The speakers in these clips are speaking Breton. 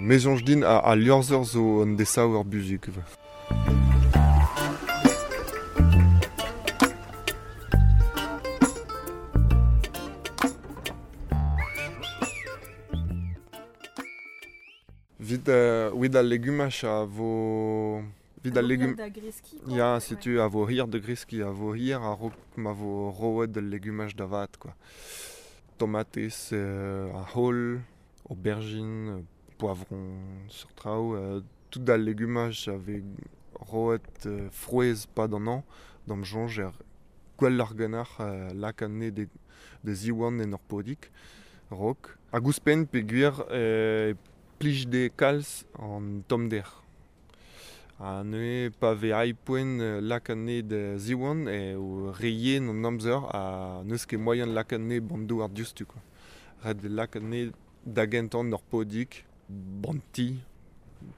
Me soñj din al liorzher zo un desaver buzhug. Vit, evit al legumaj a vo... Vit al legum... Da greskiñ quoi. Ya, setu a vo hir da greskiñ, a vo hir a-raok ma vo roet al legumaj da vat, quoi. Tomatez, ar c'haol, aubergine, poavron, seurt traoù, tout al legumaj a vez roet frouezh 'pad an hañv, d'am soñj er gwelloc'h ganeoc'h lakaat anezhe da ziwan en ur podig a-raok. Hag ouzhpenn peogwir e plij dezhe kalz an tommder. Ha neuze pa vez aet poent lakaat anezhe da ziwan eo re yen an amzer ha n'eus ket moaien lakaat anezhe 'ba'n douar diouzhtu kwa. Ret eo lakaat anezhe da gentañ en ur podig, 'ba'n ti,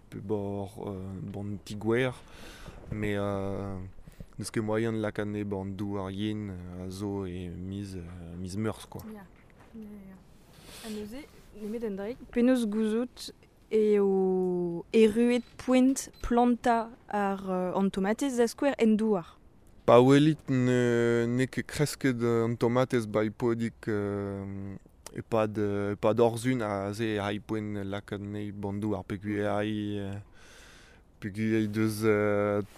pe 'ba'n ti-gwer, met n'eus ket moaien lakaat anezhe 'ba'n douar yen a zo e miz miz Meurzh kwa. Ya, ya, ya. Ha neuze, nemet un draig, penaos gouzout eo erruet poent plantañ ar an tomatez da skouer en douar? Pa welit n'eo ket kresket an tomatez 'ba podig e-pad e-pad ur sizhun aze e ray poent lakaat anezhi 'ba'n douar peogwir peogwir he deus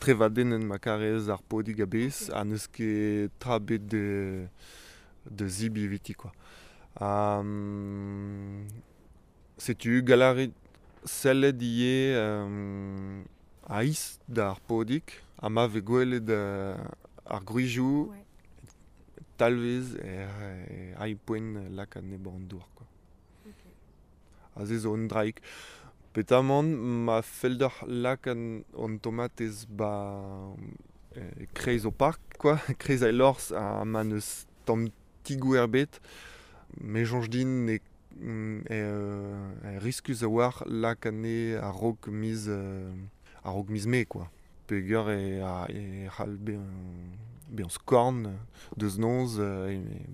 trevadennet ma karez ar podig a-bezh ha n'eus ket tra ebet da zebriñ eviti kwa. Ha setu gall a rit sellet ivez a-is d'ar podig ha ma vez gwelet ar gwrizioù talvez e ray poent lakaat anezhe 'ba'n dour kwa. Aze zo un draig. Petamant ma fell deoc'h lakaat an tomatez 'ba e-kreiz ho park kwa, e-kreiz al liorzh ha ma n'eus tamm ti-gwer ebet, me soñj din e riskus a-walc'h lakaat anezhe a-raok miz a-raok miz Mae kwa. Peogwir e c'hall bezañ skorn deus noz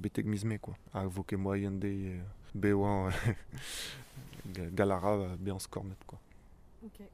betek miz Mae kwa. Ha vo ket moaien dezhe bevañ gall a ra bezañ skornet kwa. Ok.